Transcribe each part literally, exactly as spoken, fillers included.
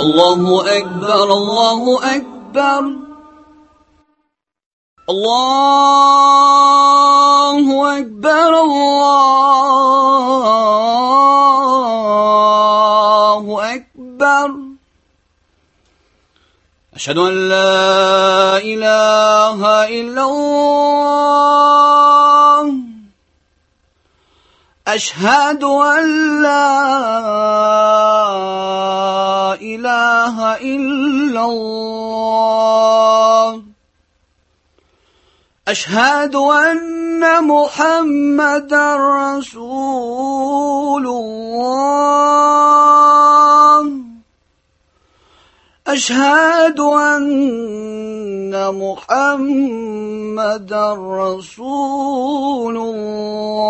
الله أكبر الله أكبر الله أكبر الله أكبر أشهد أن لا إله إلا الله أشهد أن لا إله إلا الله أشهد أن محمدا رسول الله أشهد أن محمدا رسول الله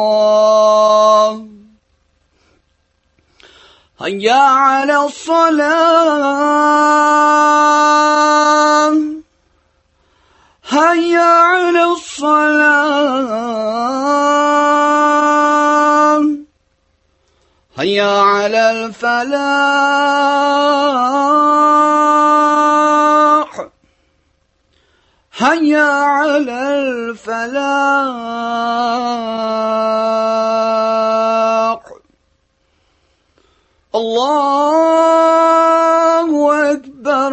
هيا على الصلاة هيا على الصلاة هيا على الفلاح هيا على الفلاح الله أكبر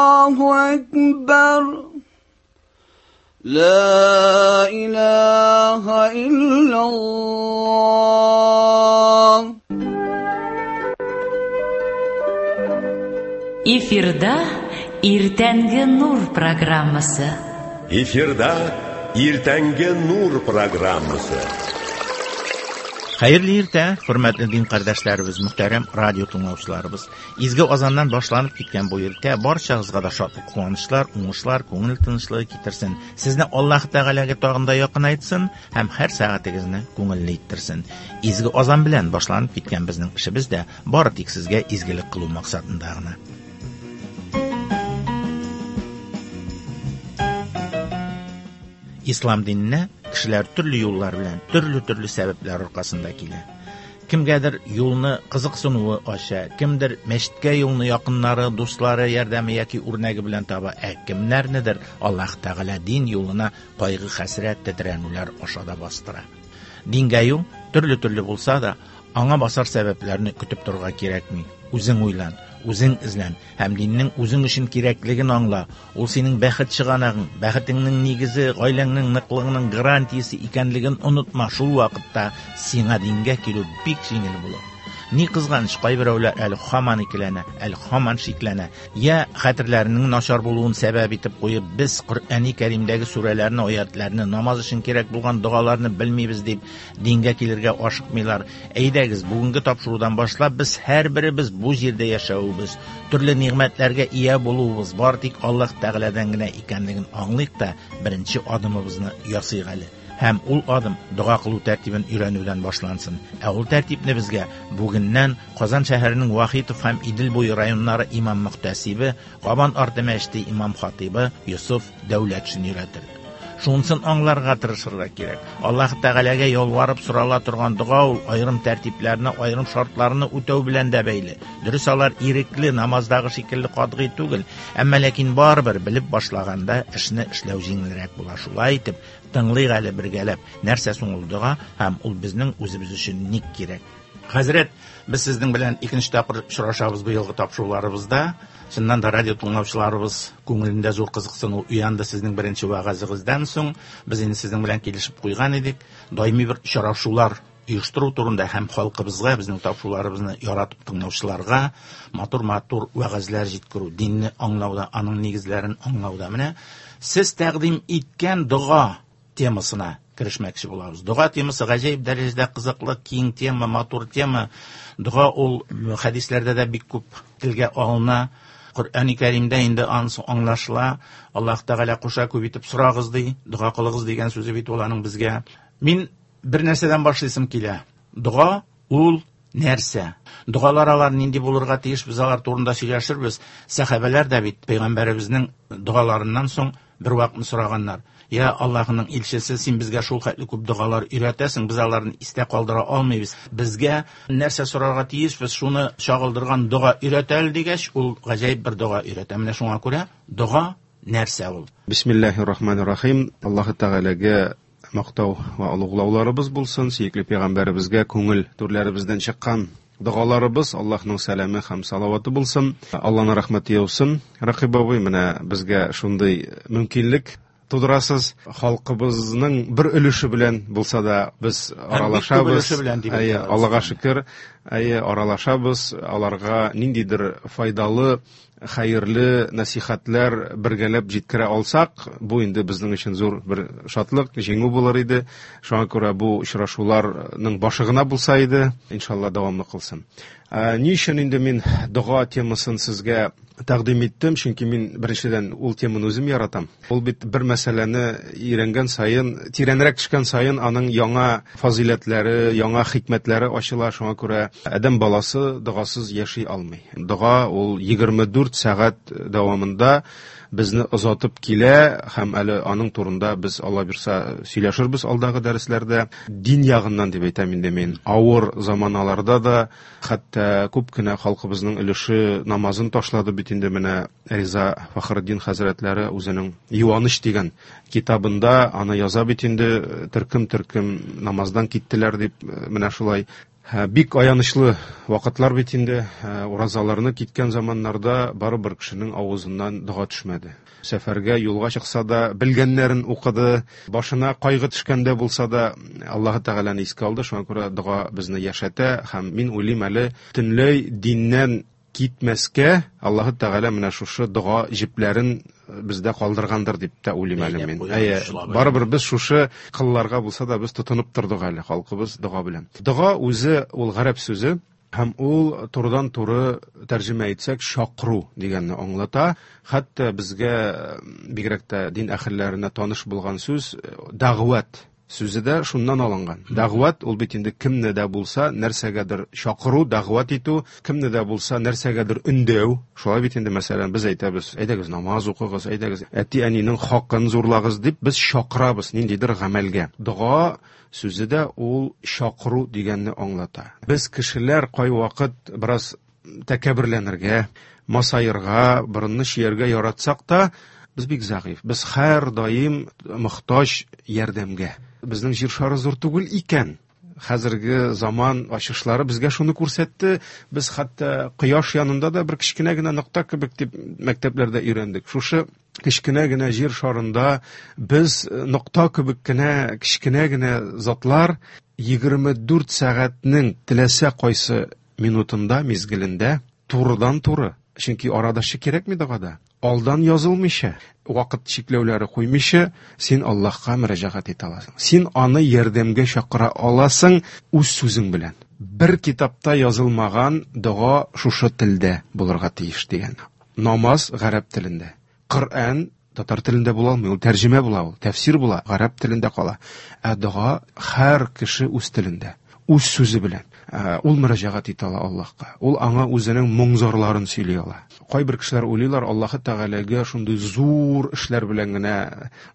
الله أكبر لا إله إلا الله. Эфирда Иртәнге Нур программасы. Эфирда Иртәнге Нур программасы. Хәерле иртә, хөрмәтле дин кардәшләребез, мөхтәрәм радио тыңлаучыларыбыз. Изге азаннан башланып киткән бу иртә барчагызга да шатлык, куанычлар, уңышлар, күңел тынычлыгы китерсен. Сезне Аллаһ Тәгаләгә тагын да якынайтсын һәм һәр сәгатегезне күңелле иттерсен. Изге азан белән башланып киткән безнең эшебез дә бары тик сезгә изгелек кылу максатында гына. Ислам диненә кешеләр төрле юллар белән, төрле-төрле сәбәпләр аркасында килә. Кемгәдер юлны кызыксынуы аша, кемдер мәчеткә юлны якыннары, дуслары ярдәме яки үрнәге белән таба, ә кемнәрнедер Аллаһ Тәгалә дин юлына кайгы-хәсрәт, тетрәнүләр аша да бастыра. Дингә юл төрле-төрле булса да, аңа басар сәбәпләрне көтеп торырга кирәкми. Үзең уйлан, үзең эзлән һәм диннең үзең өчен кирәклеген аңла. Ул синең бәхет чыганагың, бәхетеңнең нигезе, гаиләңнең ныклыгының гарантиясе икәнлеген онытма. Шул вакытта сиңа дингә килү бик җиңел булыр. Ни кызганыч, кайберәүләр әле һаман икеләнә, әле һаман шикләнә. Я хәтерләренең начар булуын сәбәп итеп куеп, без Коръәни Кәримдәге сүрәләрне, аятларны, намаз өчен кирәк булган догаларны белмибез дип дингә килергә ашыкмыйлар. Әйдәгез, бүгенге тапшырудан башлап без һәрберебез бу җирдә яшәвебез, төрле нигъмәтләргә ия булуыбыз бар тик Аллаһ Тәгаләдән генә икәнлеген аңлыйк та, беренче адымыбызны ясыйк әле. Һәм ул адым дога кылу тәртибен өйрәнүдән башлансын. Ә ул тәртипне безгә бүгеннән Казан шәһәренең Вахитов һәм Идел буе районнары имам мөхтәсибе, Кабан арты мәчете имам хатибы Йосыф Дәүләтшин өйрәтер. Шунысын аңларга тырышырга кирәк. Аллаһ Тәгаләгә ялварып сорала торган дога ул аерым тәртипләрне, аерым шартларны үтәү белән дә бәйле. Дөрес, алар ирекле, намаздагы шикелле катгый түгел, әмма ләкин барыбер белеп башлаганда эшне эшләү җиңелрәк була. Шулай итеп, тыңлыйк әле бергәләп, нәрсә соң ул дога һәм ул безнең үзебез өчен ник кирәк. Хәзрәт, без сезнең белән икенче тапкыр очрашабыз бу елгы тапшыруларыбызда. Чыннан да радио тыңлаучыларыбыз күңелендә зур кызыксыну уянды сезнең беренче вәгазегездән соң. Без инде сезнең белән килешеп куйган идек. Даими бер очрашулар оештыру турында һәм халкыбызга, безнең тапшыруларыбызны яратып тыңлаучыларга матур-матур вәгазьләр җиткерү, динне аңлауда, аның нигезләрен аңлауда. Менә сез тәкъдим иткән дога темасына керешмәкче булабыз. Дога темасы гаҗәеп дәрәҗәдә кызыклы, киң тема, матур тема. Дога ул хәдисләрдә дә бик күп телгә алына. Коръәни Кәримдә инде анысы аңлашыла. Аллаһ Тәгалә куша күп итеп сорагыз ди, дога кылыгыз дигән сүзе бит ул аның безгә. Мин бер нәрсәдән башлыйсым килә. Дога ул нәрсә? Догалар алар нинди булырга тиеш, без алар турында сөйләшербез. Сәхабәләр дә бит пәйгамбәребезнең догаларыннан соң Бер вакытны сораганнар: "Я Аллаһның илчесе, син безгә шул хәтле күп догалар өйрәтәсең, без аларны истә калдыра алмыйбыз. Безгә нәрсә сорарга тиешбез, шуны чагылдырган дога өйрәт әле", дигәч, ул гаҗәеп бер дога өйрәтә. Менә шуңа күрә дога нәрсә ул? Бисмиллаһир-рахманир-рахим. Аллаһ Тәгаләгә мактау ва олуглауларыбыз булсын, сөекле пәйгамбәребезгә күңел түрләребездән чыккан догаларыбыз, Аллаһның сәламе һәм салаваты булсын, Аллаһның рәхмәте яусын. Рәкыйп абый, менә безгә шундый мөмкинлек тудырасыз. Халкыбызның бер өлеше белән булса да без аралашабыз. Әйе, Аллаһка шөкер, әйе, аралашабыз. Аларга ниндидер файдалы, хәерле насихатлар бергәләп җиткерә алсак, бу инде безнең өчен зур бер шатлык, җиңү булыр иде. Шуңа күрә бу очрашуларның башы гына булса иде, иншалла дәвамлы кылсын. Ни өчен инде мин дога темасын сезгә тәкъдим иттем? Чөнки мин беренчедән ул теманы үзем яратам. Ул бит бер мәсьәләне өйрәнгән саен, тирәнрәк төшкән саен аның яңа фазыйләтләре, яңа хикмәтләре ачыла. Шуңа күрә адәм баласы догасыз яши алмый. Дога ул егерме дүрт сәгать дәвамында безне озатып килә, һәм әле аның турында без Алла бирса сөйләшербез алдагы дәресләрдә. Дин ягыннан дип әйтәм инде мин, авыр заманаларда да хәтта күп кенә халкыбызның өлеше намазын ташлады бит инде. Менә Риза Фахретдин хәзрәтләре үзенең Юаныч дигән китабында аны яза бит инде, төркем-төркем намаздан киттеләр дип, менә шулай. Бик аянычлы вакытлар бит инде. Уразаларны киткән заманнарда барыбер кешенең авызыннан дога төшмәде. Сәфәргә, юлга чыкса да белгәннәрен укыды, башына кайгы төшкәндә булса да Аллаһ Тәгаләне искә алды. Шуңа күрә дога безне яшәтә, һәм мин уйлыйм әле төнләй диннән китмәскә Аллаһ Тәгалә менә шушы дога җепләрен бездә калдыргандыр дип тә уйлыйм әле мин. Әйе, барыбер без шушы кылларга булса да без тотынып тордык әле, халкыбыз дога белән. Дога үзе ул гарәп сүзе, һәм ул турыдан-туры тәрҗемә итсәк чакыру дигәнне аңлата. Хәтта безгә бигрәк тә дин әһелләренә таныш булган сүз дәгъват сүзе дә шуннан алынган. Дәгъват ул бит инде кемне дә булса нәрсәгәдер чакыру, дәгъват итү, кемне дә булса нәрсәгәдер өндәү. Шулай бит инде, мәсәлән, без әйтәбез, әйдәгез намаз укыгыз, әйдәгез әти-әнинең хакын зурлагыз дип без чакырабыз ниндидер гамәлгә. Дога сүзе дә ул чакыру дигәнне аңлата. Без кешеләр кайвакыт бераз тәкәбберләнергә, масаерга, борынны чияргә яратсак та, без бик зәгыйфь. Без һәр даим мохтаҗ ярдәмгә. Безнең җир шары зур түгел икән. Хәзерге заман ачышлары безгә шуны күрсәтте. Без хәтта кояш янында да бер кечкенә генә нокта кебек дип мәктәпләрдә өйрәндек. Шушы кечкенә генә җир шарында без нокта кебек кенә кечкенә генә затлар егерме дүрт сәгатьнең теләсә кайсы минутында, мизгелендә турыдан-туры, чөнки арадашчы кирәкми догада, алдан язылмыйча, вакыт чикләүләре куймыйча, син Аллаһка мөрәҗәгать итә аласың. Син аны ярдәмгә чакыра аласың үз сүзең белән. Бер китапта язылмаган дога шушы телдә булырга тиеш дигән. Намаз гарәп телендә. Коръән татар телендә була алмый, ул тәрҗемә була, ул тәфсир була, гарәп телендә кала. Ә дога һәр кеше үз телендә, үз сүзе белән. Ул мөрәҗәгать итә ала Аллаһка. Ул аңа үзенең моң-зарларын сөйли ала. Кайбер кешеләр уйлыйлар, Аллаһ Тәгаләгә шундый зур эшләр белән генә,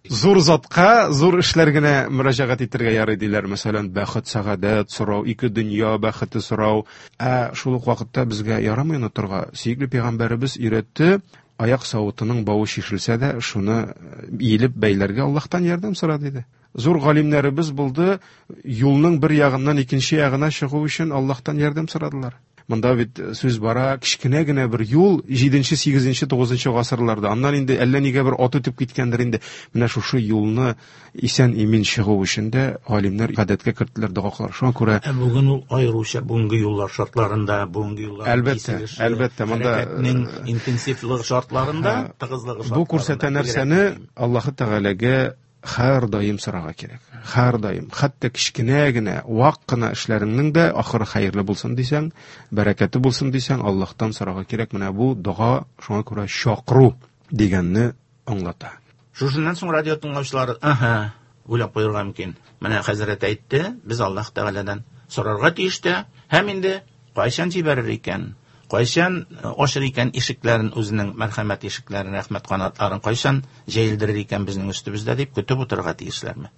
зур затка зур эшләр генә мөрәҗәгать итәргә ярый диләр. Мәсәлән, бәхет, сәгадәт сорау, ике дөнья бәхете сорау. Ә шул ук вакытта безгә ярамый онытырга. Сөекле пәйгамбәребез өйрәтте, аяк савытының бавы чишелсә дә, шуны иелеп бәйләргә Аллаһтан ярдәм сора диде. Зур галимнәребез булды, юлның бер ягыннан икенче ягына чыгу өчен Аллаһтан ярдәм сорадылар. Монда бит сүз бара, кечкенә генә бер юл җиденче, сигезенче, тугызынчы гасырларда. Аннан инде әллә нигә бер ат үтеп киткәндер инде. Менә шушы юлны исән-имин чыгу өчен дә галимнәр гадәткә керттеләр дога кылар. Шуңа күрә Ә бүген ул аеруча бүгенге юллар шартларында, бүгенге юллар Әлбәттә, киселеше, әлбәттә, монда, хәрәкәтнең интенсивлыгы шартларында, тыгызлыгы Бу күрсәтә шартларында нәрсәне бигрәк мөһим. Аллаһ Тәгаләгә һәр даим сорарга кирәк. Һәр даим, хәтта кечкенә генә, вак кына эшләреңнең дә ахыры хәерле булсын дисәң, бәрәкәте булсын дисәң, Аллаһтан сорарга кирәк. Менә бу дога шуңа күрә чакыру дигәнне аңлата. Шушыннан соң радио тыңлаучылар, аһа, уйлап куярга мөмкин. Менә хәзрәт әйтте, без Аллаһ Тәгаләдән сорарга тиеш тә, һәм инде кайчан җибәрер икән? Кайчан ачыр икән ишекләрен, үзенең мәрхәмәт ишекләрен, рәхмәт канатларын кайчан җәелдерер икән безнең өстебездә дип көтеп утырырга тиешләрме?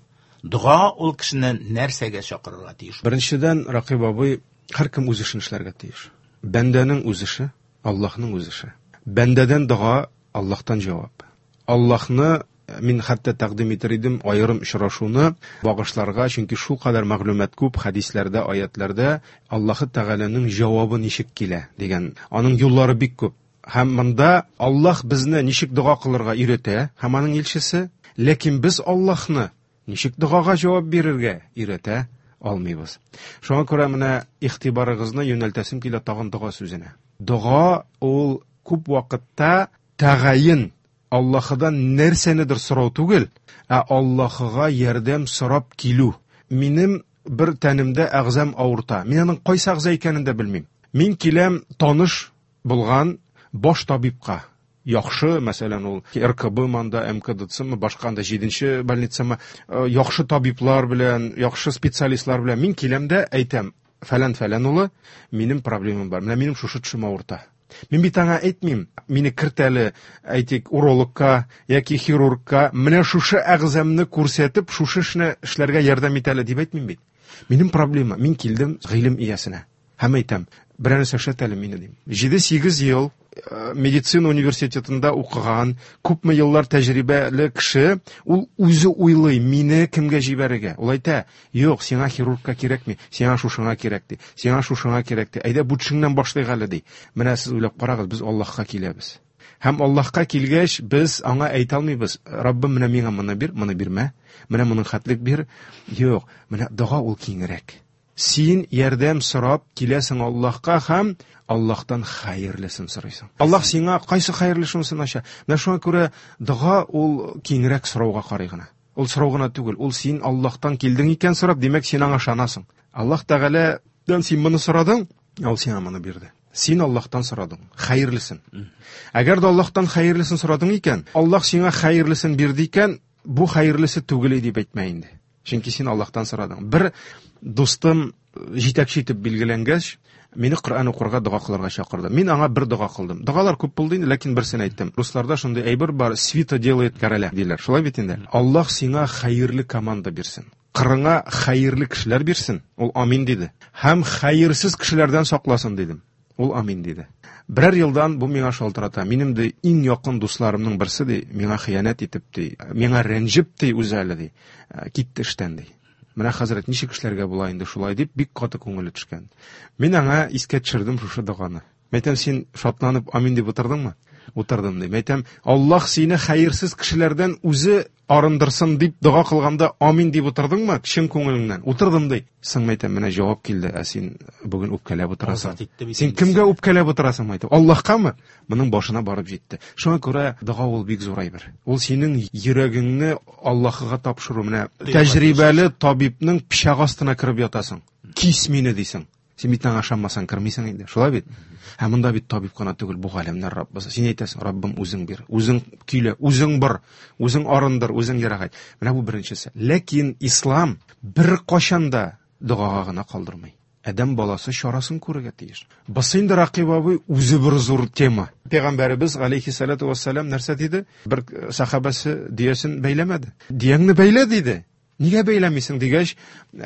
Дога ул кешене нәрсәгә чакырырга тиеш? Беренчедән, Ракыйп абый, һәркем үз эшен эшләргә тиеш. Бәндәнең үз эше, Аллаһның үз эше. Бәндәдән дога, Аллаһтан җавап. Аллаһны мин хәтта тәкъдим итер идем аерым очрашуны багышларга, чөнки шул кадәр мәгълүмат күп хәдисләрдә, аятларда Аллаһы Тәгаләнең җавабы ничек килә дигән. Аның юллары бик күп. Һәм монда Аллаһ безне ничек дога кылырга өйрәтә, һәм аның илчесе, ләкин без Аллаһны ничек догага җавап бирергә өйрәтә алмыйбыз. Шуңа күрә менә игътибарыгызны юнәлтәсем килә тагын дога сүзенә. Дога ул күп вакытта тәгаен Аллаһыдан нәрсәнедер сорау түгел, ә Аллаһыга ярдәм сорап килү. Минем бер тәнемдә әгъзам авырта. Мин аның кайсы әгъза икәнен дә белмим. Мин киләм таныш булган баш табибка. Яхшы, мәсәлән, ул Р К Б манда, М К Д Ц-мы, башка анда җиденче больницамы, яхшы табиблар белән, яхшы специалистлар белән мин киләм дә әйтәм, фәлән-фәлән улы, минем проблемам бар. Менә минем шушы төшем авырта. Мин бит аңа әйтмим, мине керт әле, әйтик, урологка яки хирургка, менә шушы әгъзамны күрсәтеп, шушы эшне эшләргә ярдәм ит әле дип әйтмим бит. Минем проблема, мин килдем гыйлем иясенә. Һәм әйтәм, берәр нәрсә эшләт әле мине дим. Җиде-сигез ел медицина университетында укыган, күпме еллар тәҗрибәле кеше, ул үзе уйлый, мине кемгә җибәрергә. Ул әйтә, юк, сиңа хирургка кирәкми, сиңа шушыңа кирәк ди, сиңа шушыңа кирәк ди. Әйдә, бу төшеңнән башлыйк әле ди. Менә сез уйлап карагыз, без Аллаһка киләбез. Һәм Аллаһка килгәч, без аңа әйтә алмыйбыз, Раббым, менә миңа моны бир, моны бирмә, менә моның хәтлек бир. Юк, менә дога ул киңрәк. Син ярдәм сорап киләсең Аллаһка һәм Аллаһтан хәерлесен сорыйсың. Аллаһ сиңа кайсы хәерлесен ача? Менә шуңа күрә дога ул киңрәк сорауга карый гына. Ул сорау гына түгел, ул син Аллаһтан килдең икән сорап, димәк син аңа ышанасың. Аллаһ Тәгаләдән син моны сорадың, ул сиңа моны бирде. Син Аллаһтан сорадың, хәерлесен. Әгәр дә Аллаһтан хәерлесен сорадың икән, Аллаһ сиңа хәерлесен бирде икән, бу хәерлесе түгел дип әйтмә инде. Чөнки син Аллаһтан сорадың. Бер дустым җитәкче итеп билгеләнгәч, мине Коръән укырга, дога кылырга чакырды. Мин аңа бер дога кылдым. Догалар күп булды инде, ләкин берсен әйттем. Русларда шундый әйбер бар, свита делает короля диләр. Шулай бит инде. Аллаһ сиңа хәерле команда бирсен. Кырыңа хәерле кешеләр бирсен. Ул амин диде. Һәм хәерсез кешеләрдән сакласын дидем. Ул амин диде. Берәр елдан бу миңа шалтырата. Минем дә иң якын дусларымның берсе ди, миңа хыянәт итеп ди, миңа рәнҗеп ди үзе әле ди. Китте эштән ди. Менә хәзрәт ничек эшләргә була инде шулай дип бик каты күңеле төшкән. Мин аңа искә төшердем шушы доганы. Мәйтәм, син шатланып амин дип утырдыңмы? Утырдым ди. Мәйтәм, Аллаһ сине хәерсез кешеләрдән үзе арындырсын дип дога кылганда амин дип утырдыңмы? Чын күңелеңнән. Утырдым ди. Соң мәйтәм, менә җавап килде, ә син бүген үпкәләп утырасың. Син кемгә үпкәләп утырасың мәйтәм? Аллаһкамы? Моның башына барып җитте. Шуңа күрә дога ул бик зур әйбер. Ул синең йөрәгеңне Аллаһка тапшыру. Менә тәҗрибәле табибның пычагы астына кереп ятасың. Кис мине дисең. Син бит аңа ышанмасаң кермисең инде. Шулай бит? Һәм монда бит табиб кына түгел, бу галәмнәр Раббысы. Син әйтәсең, Раббым, үзең бир, үзең көйлә, үзең бар, үзең арындыр, үзең ерагайт. Менә бу беренчесе. Ләкин ислам бер кашан да догага гына калдырмый. Адәм баласы чарасын күрергә тиеш. Бусы инде Ракыйп абый үзе бер зур тема. Пәйгамбәребез алейхиссалату вассалам нәрсә диде? Бер сахабасы диясен бәйләмәде. Дияңне бәйлә диде. Нигә бәйләмисең дигәч,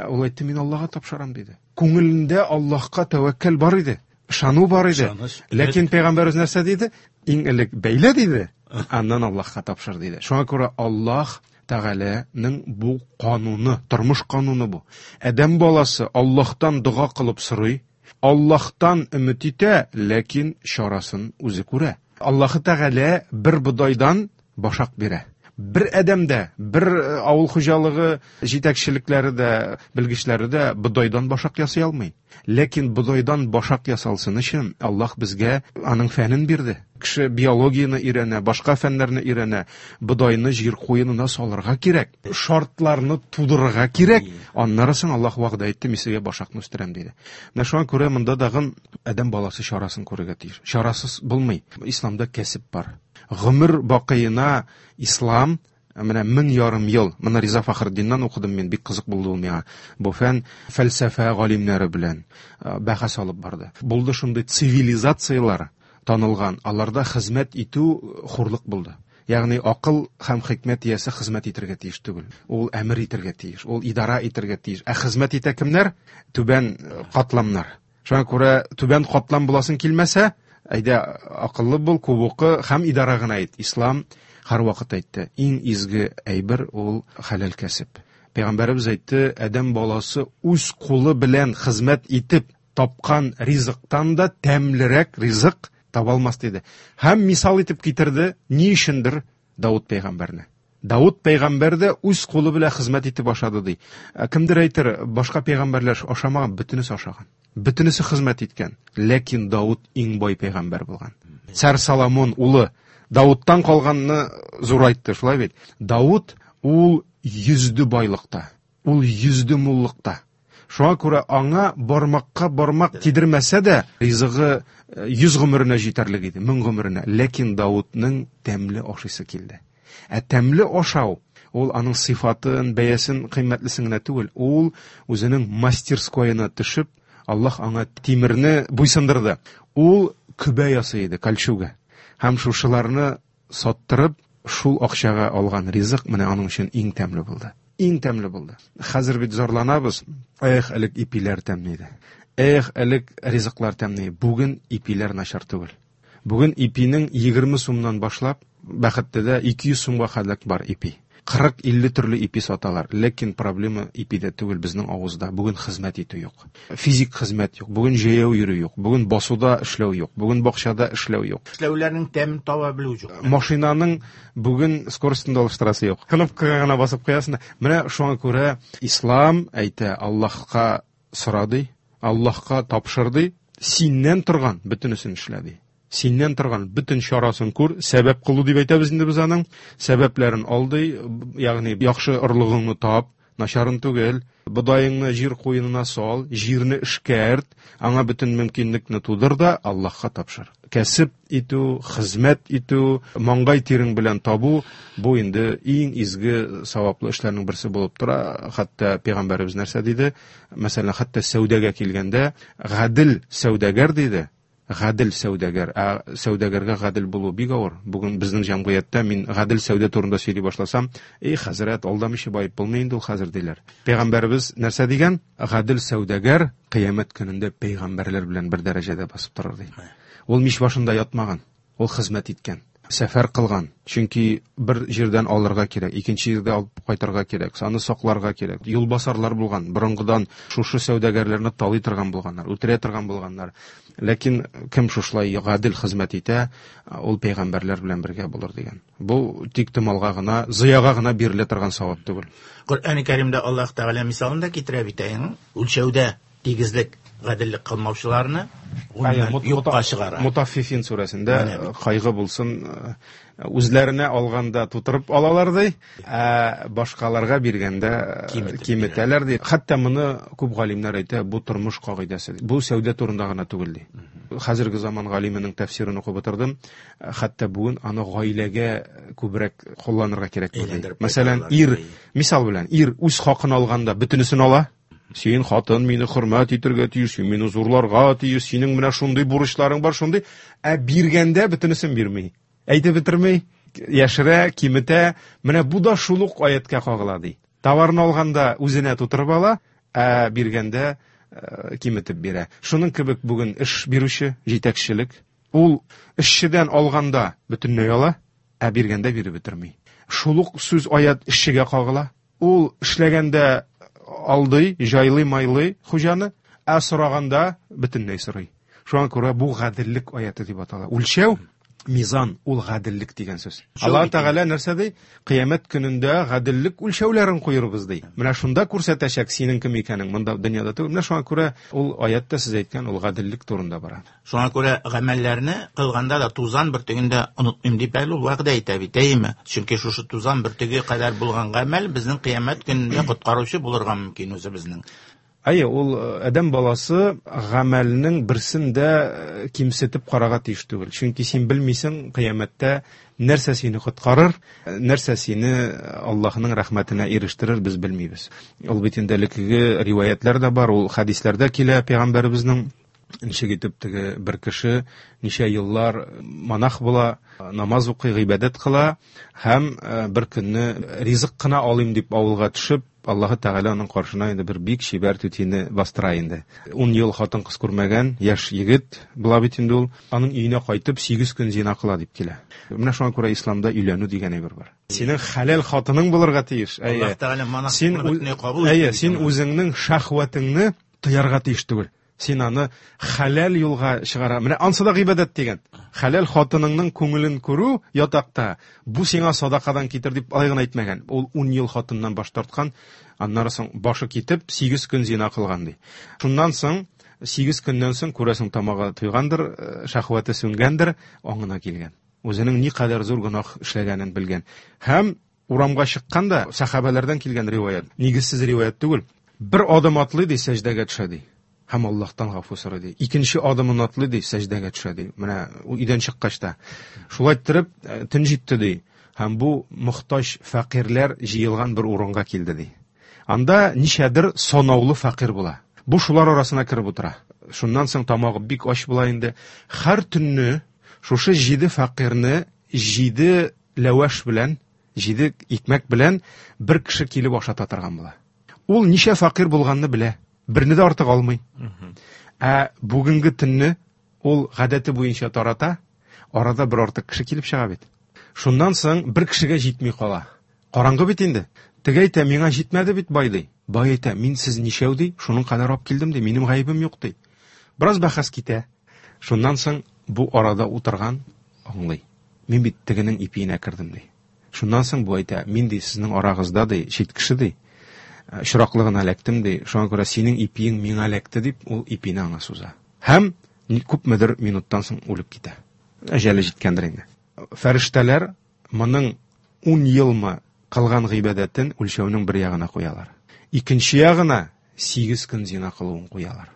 ул әйтте, мин Аллаһка тапшырам диде. Күңелендә Аллаһка тәвәккәл бар иде, ышану бар иде. Ләкин пәйгамбәребез нәрсә диде? Иң элек бәйлә диде, аннан Аллаһка тапшыр диде. Шуңа күрә Аллаһ Тәгаләнең бу кануны, тормыш кануны бу. Адәм баласы Аллаһтан дога кылып сорый, Аллаһтан өмет итә, ләкин чарасын үзе күрә. Аллаһ Тәгалә бер бодайдан башак бирә. Бер адәм дә, бер авыл хуҗалыгы җитәкчелекләре дә, белгечләре дә бодайдан башак ясый алмый. Ләкин бодайдан башак ясалсын өчен Аллаһ безгә аның фәнен бирде. Кеше биологияне өйрәнә, башка фәннәрне өйрәнә. Бодайны җир куенына салырга кирәк, шартларны тудырырга кирәк. Аннары соң Аллаһ вәгъдә итте, мин сезгә башакны үстерәм диде. Менә шуңа күрә монда тагын адәм баласы чарасын күрергә тиеш. Чарасыз булмый. Исламда кәсеп бар. Гомер бакыена ислам Менә мең ярым ел, моны Риза Фахретдиннан укыдым мин, бик кызык булды ул миңа. Бу фән фәлсәфә галимнәре белән бәхәс алып барды. Булды шундый цивилизацияләр танылган, аларда хезмәт итү хурлык булды. Ягъни акыл һәм хикмәт иясе хезмәт итәргә тиеш түгел. Ул әмер итәргә тиеш, ул идара итәргә тиеш. Ә хезмәт итә кемнәр? Түбән катламнар. Шуңа күрә түбән катлам буласың килмәсә, әйдә акыллы бул, күп укы һәм идара гына ит. Ислам һәрвакыт әйтте, иң изге әйбер ул хәләл кәсеп. Пәйгамбәребез әйтте, адәм баласы үз кулы белән хезмәт итеп тапкан ризыктан да тәмлерәк ризык таба алмас диде. Һәм мисал итеп китерде, ни өчендер Давыт пәйгамбәрне. Давыт пәйгамбәр дә үз кулы белән хезмәт итеп ашады ди. Кемдер әйтер, башка пәйгамбәрләр ашамаган, бөтенесе ашаган. Бөтенесе хезмәт иткән. Ләкин Давыт иң бай пәйгамбәр булган. Царь Соломон улы Давыттан калганны зурайтты, шулай бит. Давыт ул йөзде байлыкта, ул йөзде муллыкта. Шуңа күрә аңа бармакка бармак тидермәсә дә ризыгы йөз гомеренә җитәрлек иде, мең гомеренә. Ләкин Давытның тәмле ашыйсы килде. Ә тәмле ашау ул аның сыйфатын, бәясен кыйммәтлесен генә түгел, ул үзенең мастерскоена төшеп, Аллаһ аңа тимерне буйсындырды. Ул көбә ясый иде, кольчуга. Һәм шушыларны саттырып, шул акчага алган ризык менә аның өчен иң тәмле булды. Иң тәмле булды. Хәзер бит зарланабыз. Эх, элек ипиләр тәмле иде. Эх, элек ризыклар тәмле. Бүген ипиләр начар түгел. Бүген ипинең егерме сумнан башлап, Бәхеттедә ике йөз сумга кадәр бар ипи. Кырык илле төрле ипи саталар. Ләкин проблема ипидә түгел, безнең авызда. Бүген хезмәт итү юк. Физик хезмәт юк. Бүген җәяү йөрү юк. Бүген басуда эшләү юк. Бүген бакчада эшләү юк. Эшләүләрнең тәмен таба белү юк. Машинаның бүген скоростен да алыштырасы юк. Кнопкага гына басып куясың. Менә шуңа күрә ислам әйтә, Аллаһка сора ди, Аллаһка тапшыр ди, синнән торган бөтенесен эшлә ди. Синнән торган бөтен чарасын күр, сәбәп кылу дип әйтәбез инде без аның. Сәбәпләрен ал ди, ягъни яхшы орлыгыңны тап, начарын түгел, бодаеңны җир куенына сал, җирне эшкәрт, аңа бөтен мөмкинлекне тудыр да Аллаһка тапшыр. Кәсеп итү, хезмәт итү, маңгай тирең белән табу, бу инде иң изге саваплы эшләрнең берсе булып тора. Хәтта пәйгамбәребез нәрсә диде? Мәсәлән, хәтта сәүдәгә килгәндә, гадел сәүдәгәр диде. Гадел сәүдәгәр. Ә сәүдәгәргә гадел булу бик авыр. Бүген безнең җәмгыятьтә мин гадел сәүдә турында сөйли башласам, эй, хәзрәт, алдамыйча баеп булмый инде ул хәзер диләр. Пәйгамбәребез нәрсә дигән? Гадел сәүдәгәр кыямәт көнендә пәйгамбәрләр белән бер дәрәҗәдә басып торыр ди. Ул мич башында ятмаган, ул хезмәт иткән, сәфәр кылган. Чөнки бер җирдән алырга кирәк, икенче җирдә алып кайтырга кирәк, аны сакларга кирәк. Юлбасарлар булган, борынгыдан шушы сәүдәгәрләрне талый торган булганнар, үтерә торган булганнар. Ләкин кем шушылай гадел хезмәт итә, ул пәйгамбәрләр белән бергә булыр дигән. Бу тик томалга гына, зыяга гына бирелә торган савап түгел. Коръән-и Кәримдә Аллаһ Тәгалә мисалын да китерә бит, әйе, үлчәүдә тигезлек, гаделлек кылмаучыларны Әйе, мут-, юкка мута-, чыгара. Мутаффифин сүрәсендә Менә бит. кайгы булсын, үзләренә алганда тутырып алалар ди, ә башкаларга биргәндә Киметеп киметәләр ди. Хәтта моны күп галимнәр әйтә, бу тормыш кагыйдәсе. Бу сәүдә турында гына түгел ди. Хәзерге заман галименең тәфсирен укып утырдым. Хәтта бүген аны гаиләгә күбрәк кулланырга кирәк ди. Әйләндереп Мәсәлән, кайтаралар ир, ди. мисал белән, ир үз хакын алганда бөтенесен ала. Син хатын мине хөрмәт итәргә тиеш, син мине зурларга тиеш, синең менә шундый бурычларың бар, шундый. Ә биргәндә бөтенесен бирми. Әйтеп бетерми, яшерә, киметә. Менә бу да шул ук аятка кагыла ди. Товарны алганда үзенә тутырып ала, ә биргәндә, э, киметеп бирә. Шуның кебек бүген эш бирүче, җитәкчелек, ул эшчедән алганда бөтенләй ала, ә биргәндә биреп бетерми. Шул ук сүз аят эшчегә кагыла. Ул эшләгәндә алдый, җайлый-майлый хуҗаны, ә сораганда бөтенләй сорый. Шуңа күрә бу гаделлек аяты дип атала. Үлчәү, мизан, ул гаделлек дигән сүз. Үлчәү Аллаһ бит Тәгалә нәрсә ди? Кыямәт көнендә гаделлек үлчәүләрен куербыз ди. Менә шунда күрсәтәчәк синең кем икәнең, монда дөньяда түгел. Менә шуңа күрә ул аятта сез әйткән ул гаделлек турында бара. Шуңа күрә гамәлләрне кылганда да тузан бөртеген дә онытмыйм дип әле ул вәгъдә итә бит, әйеме? Чөнки шушы тузан бөртеге кадәр булган гамәл безнең кыямәт көнендә коткаручы булырга мөмкин үзебезнең. Әйе, ул адәм баласы гамәлнең берсен дә кимсетеп карарга тиеш түгел. Чөнки син белмисең, кыямәттә нәрсә сине коткарыр, нәрсә сине Аллаһның рәхмәтенә ирештерер, без белмибез. Ул бит инде элеккеге риваятлар да бар, ул хәдисләрдә килә пәйгамбәребезнең ничек итеп теге бер кеше ничә еллар монах була, намаз укый, гыйбадәт кыла һәм бер көнне ризык кына алыйм дип авылга төшеп, Аллаһы Тәгалә аның каршына инде бер бик чибәр түтине бастыра инде. Ун ел хатын-кыз күрмәгән яшь егет була бит инде ул. Аның өенә кайтып сигез көн зина кыла дип килә. Менә шуңа күрә исламда өйләнү дигән әйбер бар. Синең хәләл хатының булырга тиеш. Аллаһ Тәгалә монахлыкны кабул итте. Әйе, син үзеңнең шәһвәтеңне тыярга тиеш түгел. Син аны хәләл юлга чыгара. Менә ансы да гыйбадәт дигән. Хәләл хатыныңның күңелен күрү ятакта, бу сиңа садакадан китер дип алай гына әйтмәгән. Ул ун ел хатыннан баш тарткан, аннары соң башы китеп сигез көн зина кылган ди. Шуннан соң сигез көннән соң күрәсең тамагы туйгандыр, шәһвәте сүнгәндер, аңына килгән. Үзенең никадәр зур гөнаһ эшләгәнен белгән. Һәм урамга чыкканда сәхабәләрдән килгән риваят, нигезсез риваят түгел. Бер адым атлый ди, сәҗдәгә төшә ди. Һәм Аллаһтан гафу сорый ди. Икенче адымын атлый ди, сәҗдәгә төшә ди. Менә өйдән чыккач та. Шулай иттереп төн җитте ди. Һәм бу мохтаҗ фәкыйрьләр җыелган бер урынга килде ди. Анда ничәдер санаулы фәкыйрь була. Бу шулар арасына кереп утыра. Шуннан соң тамагы бик ач була инде. Һәр төнне шушы җиде фәкыйрьне җиде ләвәш белән, җиде икмәк белән бер кеше килеп ашата торган була. Ул ничә фәкыйрь булганны белә. Берне дә артык алмый. Ә бүгенге төнне ул гадәте буенча тарата, арада бер артык кеше килеп чыга бит. Шуннан соң бер кешегә җитми кала. Караңгы бит инде. Теге әйтә, миңа җитмәде бит бай ди. Бай әйтә, мин сез ничәү ди, шуның кадәр алып килдем ди, минем гаебем юк ди. Бераз бәхәс китә. Шуннан соң бу арада утырган аңлый. Мин бит тегенең ипиенә кердем ди. Шуннан соң бу әйтә, мин ди сезнең арагызда ди, чит кеше ди. Очраклыгына эләктем ди, шуңа күрә синең ипиең миңа эләкте дип, ул ипине аңа суза. Һәм күпмедер минуттан соң үлеп китә. Әҗәле җиткәндер инде. Фәрештәләр моның ун елмы кылган гыйбадәтен үлчәүнең бер ягына куялар. Икенче ягына сигез көн зина кылуын куялар.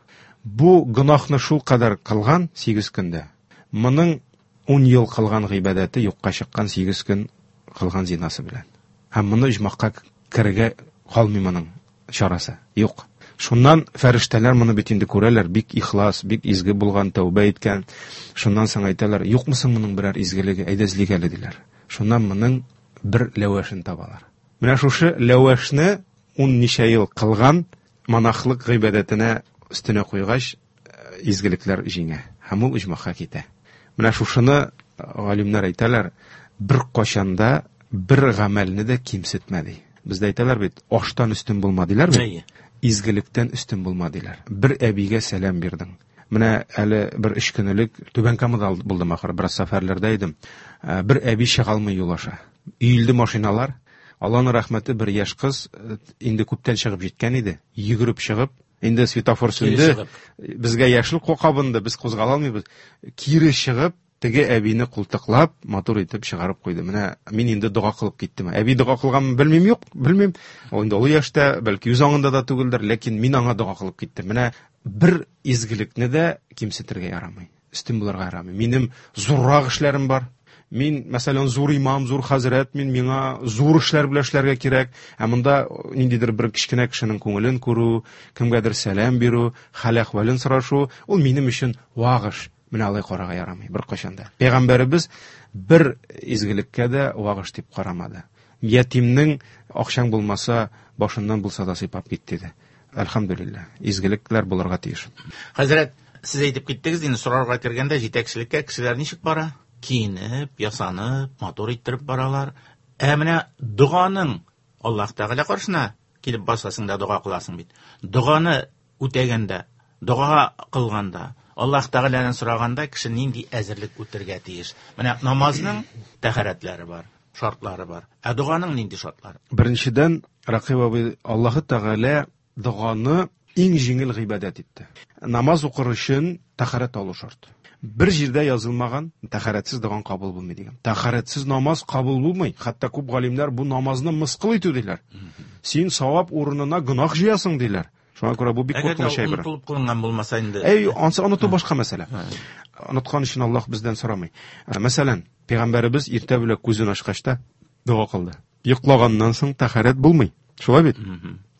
Бу гөнаһны шул кадәр кылган сигез көндә. Моның ун ел кылган гыйбадәте юкка чыккан сигез көн кылган зинасы белән. Һәм моны оҗмахка керергә калмый моның чарасы. Юк. Шуннан фәрештәләр моны бит инде күрәләр, бик ихлас, бик изге булган, тәүбә иткән. Шуннан соң әйтәләр, юкмы соң моның берәр изгелеге, әйдә эзлик әле диләр. Шуннан моның бер ләвәшен табалар. Менә шушы ләвәшне ун ничә ел кылган монахлык гыйбадәтенә өстенә куйгач, изгелекләр җиңә һәм ул оҗмахка китә. Менә шушыны галимнәр әйтәләр, бер кашанда бер гамәлне дә кимсетмә ди. Бездә әйтәләр бит, аштан өстен булма диләр бит. Изгелектән өстен булма диләр. Бер әбигә сәлам бирдең. Менә әле бер өч көн элек Түбән Камада булдым ахыры, бераз сәфәрләрдә идем. Бер әби чыга алмый юл аша. Өелде машиналар. Аллаһның рәхмәте, бер яшь кыз инде күптән чыгып җиткән иде. Йөгереп чыгып, инде светофор сүнде. Безгә яшел кабынды, без кузгала алмыйбыз. Кире чыгып, теге әбине култыклап, матур итеп чыгарып куйды. Менә мин инде дога кылып киттем. Әби дога кылганмы белмим, юк, белмим. Ул инде олы яшьтә, бәлки үз аңында да түгелдер, ләкин мин аңа дога кылып киттем. Менә бер изгелекне дә кимсетергә ярамый, өстен булырга ярамый. Минем зуррак эшләрем бар. Мин, мәсәлән, зур имам, зур хәзрәт, мин миңа зур эшләр белән эшләргә кирәк. Ә монда ниндидер бер кечкенә кешенең күңелен күрү, кемгәдер сәлам бирү, хәл-әхвәлен сорашу, ул минем өчен вак эш. Менә алай карарга ярамый бер кашан да. Пәйгамбәребез бер изгелеккә дә вак эш дип карамады. Ятимнең акчаң булмаса, башыннан булса да сыйпап кит диде. Әлхәмдүлилләһ, изгелекләр булырга тиеш. Хәзрәт, сез әйтеп киттегез, инде сорарга кергәндә җитәкчелеккә кешеләр ничек бара? Киенеп, ясанып, матур иттереп баралар. Ә менә доганың Аллаһ Тәгалә каршына килеп басасың да дога кыласың бит. Доганы үтәгәндә, дога кылганда, Аллаһ Тәгаләдән сораганда кеше нинди әзерлек үтергә тиеш? Менә намазның тәһарәтләре бар, шартлары бар. Ә доганың нинди шартлары? Беренчедән, Рәкыйб абый, Аллаһ Тәгалә доганы иң җиңел гыйбадәт итте. Намаз укыр өчен тәһарәт алу шарт. Бер җирдә язылмаган тәһарәтсез доган кабул булмый дигән. Тәһарәтсез намаз кабул булмый. Хәтта күп галимнәр бу намазны мыскыл итү диләр. Син савап урынына гөнаһ җыясың диләр. Шуңа күрә бу бик куркыныч әйбер. Әгәр онытылып кылынган булмаса инде. Әй, ансы оныту башка мәсьәлә. Оныткан өчен Аллаһ бездән сорамый. Мәсәлән, пәйгамбәребез иртә белән күзен ачкач та дога кылды. Йоклаганнан соң тәһарәт булмый. Шулай бит?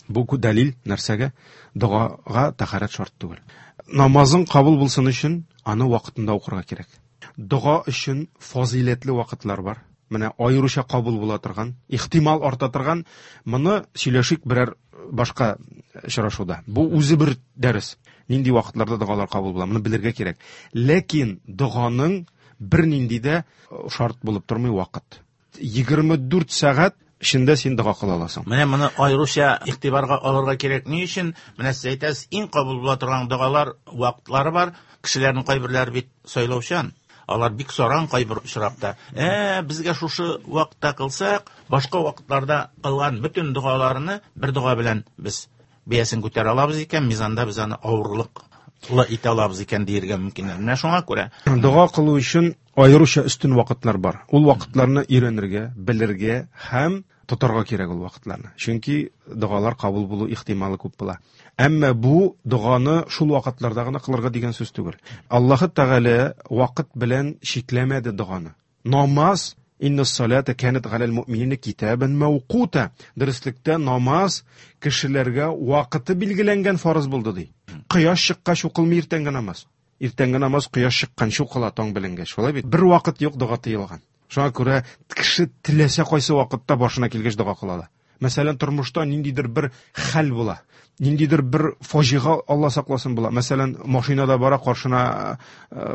Бу дәлил нәрсәгә? Догага тәһарәт шарт түгел. Намазың кабул булсын өчен аны вакытында укырга кирәк. Дога өчен фазыйләтле вакытлар бар. Менә аеруча кабул була торган, ихтимал арта торган, моны сөйләшик берәр башка очрашуда. Бу үзе бер дәрес. Нинди вакытларда догалар кабул була, моны белергә кирәк. Ләкин доганың бернинди дә шарт булып тормый вакыт. Егерме дүрт сәгать эчендә син дога кыла аласың. Менә моны аеруча игътибарга алырга кирәк. Ни өчен? Менә сез әйтәсез, иң кабул була торган догалар вакытлары бар. Кешеләрнең кайберләре бит сайлаучан. Алар бик саран кайбер очракта. Ә, безгә шушы вакытта кылсак, башка вакытларда кылган бөтен догаларны бер дога белән без бәясен күтәрә алабыз икән, мизанда без аны авырлыклы итә алабыз икән диергә мөмкин. Менә шуңа күрә дога кылу өчен аеруча өстен вакытлар бар. Ул вакытларны өйрәнергә, белергә һәм тотарга кирәк ул вакытларны. Чөнки догалар кабул булу ихтималы күп була. Әмма бу доганы шул вакытларда гына кылырга дигән сүз түгел. Аллаһ Тәгалә вакыт белән чикләмәде доганы. Намаз инна салата канат галал муъминина китабан мавкута. Дөреслектә намаз кешеләргә вакыты билгеләнгән фарыз булды ди. Кояш чыккач укылмый иртәнге намаз. Иртәнге намаз кояш чыкканчы укыла, таң беленгәч. Шулай бит? Бер вакыт юк дога тыелган. Шуңа күрә кеше теләсә кайсы вакытта башына килгәч дога кыла ала. Мәсәлән, тормышта ниндидер бер хәл була, ниндидер бер фаҗига, Алла сакласын, була. Мәсәлән, машинада бара, каршына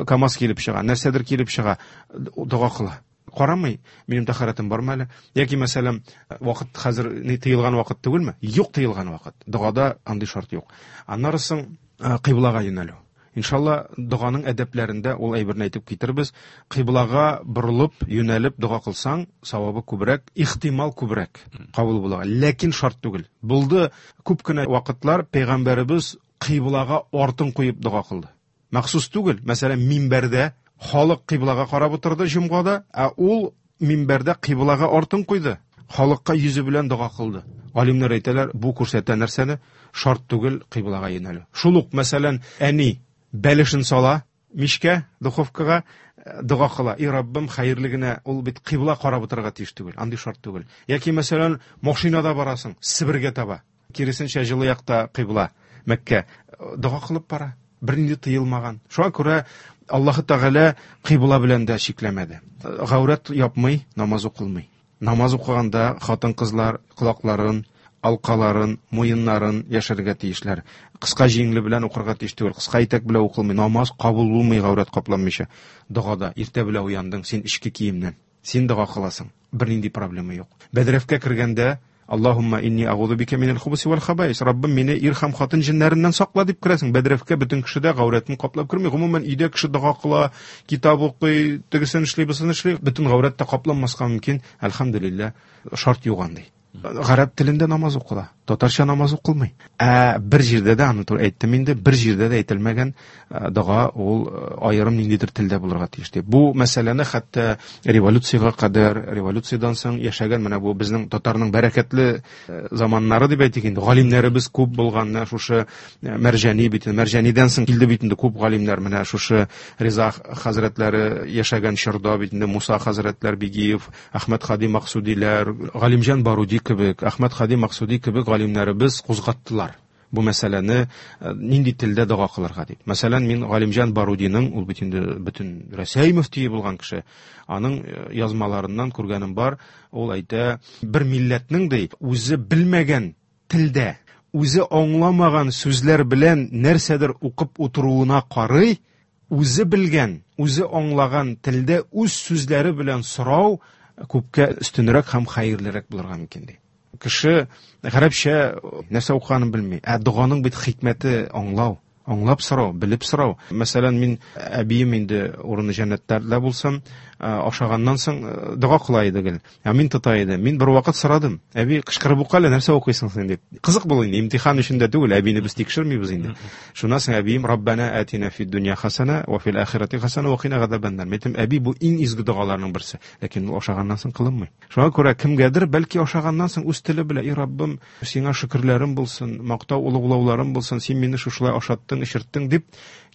КАМАЗ килеп чыга, нәрсәдер килеп чыга, дога кыла. Карамый, минем тәһарәтем бармы әле? Яки мәсәлән, вакыт хәзер ни тыелган вакыт түгелме? Юк тыелган вакыт. Догада андый шарт юк. Аннары соң кыйблага юнәлү. Иншалла, доганың әдәпләрендә ул әйберне әйтеп китербез. Кыйблага борылып, юнәлеп дога кылсаң, савабы күбрәк, ихтимал күбрәк кабул була. Ләкин шарт түгел. Булды күп кенә вакытлар пәйгамбәребез кыйблага артын куеп дога кылды. Махсус түгел. Мәсәлән, минбәрдә халык кыйблага карап утырды җомгада, ә ул минбәрдә кыйблага артын куйды. Халыкка йөзе белән дога кылды. Галимнәр әйтәләр, бу күрсәтә нәрсәне? Шарт түгел кыйблага юнәлү. Шул ук, мәсәлән, әни бәлешен сала мичкә, духовкага, дога кыла. И Раббым, хәерле генә, ул бит кыйбла карап утырырга тиеш түгел, андый шарт түгел. Яки мәсәлән, машинада барасың, Себергә таба. Киресенчә җылы якта кыйбла, Мәккә. Дога кылып бара. Бернинди тыелмаган. Шуңа күрә Аллаһ Тәгалә кыйбла белән дә чикләмәде. Гаурәт япмый, намаз укылмый. Намаз укыганда хатын-кызлар колакларын, алкаларын, муеннарын яшәргә тиешләр. Кыска җиңле белән укырга тиеш түгел, кыска итәк белән укылмый. Намаз кабул булмый гаурәт капланмыйча. Догада иртә белән уяндың, син эчке киемнән. Син дога кыласың. Бернинди проблема юк. Бәдрәфкә кергәндә Аллаһумма инни агузу бика минал хубуси вал хабаис. Раббым, мине ир һәм хатын җеннәреннән сакла дип керәсең. Бәдрәфкә бөтен кеше дә гаурәтен каплап керми. Гомумән, өйдә кеше дога кыла, китап укый, тегесен эшли, бусын эшли. Бөтен гаурәт тә капланмаска мөмкин. Әлхәмдүлилләһ, шарт юк андый. Гарәп телендә намаз укыла, татарча намаз укылмый. Ә бер җирдә дә, аны әйттем инде, бер җирдә дә әйтелмәгән дога ул аерым ниндидер телдә булырга тиеш дип. Бу мәсьәләне хәтта революциягә кадәр, революциядән соң яшәгән менә бу безнең татарның бәрәкәтле заманнары дип әйтик инде, галимнәребез күп булган, менә шушы Мәрҗани бит, Мәрҗанидән соң килде бит инде күп галимнәр, менә шушы Риза хәзрәтләре яшәгән чорда бит инде Муса хәзрәтләр Бигиев, Әхмәт Хади Максудиләр, Галимҗан Баруди кебек, Әхмәт Хади Максуди кебек галимнәребез кузгаттылар бу мәсьәләне, нинди телдә дога кылырга дип. Мәсәлән, мин Галимҗан Барудиның, ул бит инде бөтен Рәсәй мөфтие булган кеше, аның язмаларыннан күргәнем бар, ул әйтә, бер милләтнең ди, үзе белмәгән телдә, үзе аңламаган сүзләр белән нәрсәдер укып утыруына карый, үзе белгән, үзе аңлаган телдә үз сүзләре белән сорау күпкә өстенрәк һәм хәерлерәк булырга мөмкин ди. Кеше гарәпчә нәрсә укыганын белми. Ә доганың бит хикмәте аңлау. Аңлап сорау, белеп сорау. Мәсәлән, мин әбием инде урыны җәннәтләрдә булсын, ашаганнан соң дога кыла иде гел. Ә мин тота идем. Мин бер вакыт сорадым. Әби, кычкырып укы әле, нәрсә укыйсың син дип. Кызык бул инде, имтихан өчен дә түгел, әбине без тикшермибез инде. Шуннан соң әбием Раббана атина фид дөнья хасана ва фил ахирати хасана ва кина газабаннар. Мин әйтәм, әби, бу иң изге догаларның берсе. Ләкин ул ашаганнан соң кылынмый. Шуңа күрә кемгәдер бәлки ашаганнан соң үз теле белән, "И Раббым, сиңа шөкерләрем булсын, мактау олуглауларым булсын, син мине шушылай ашаттың, эчерттең" дип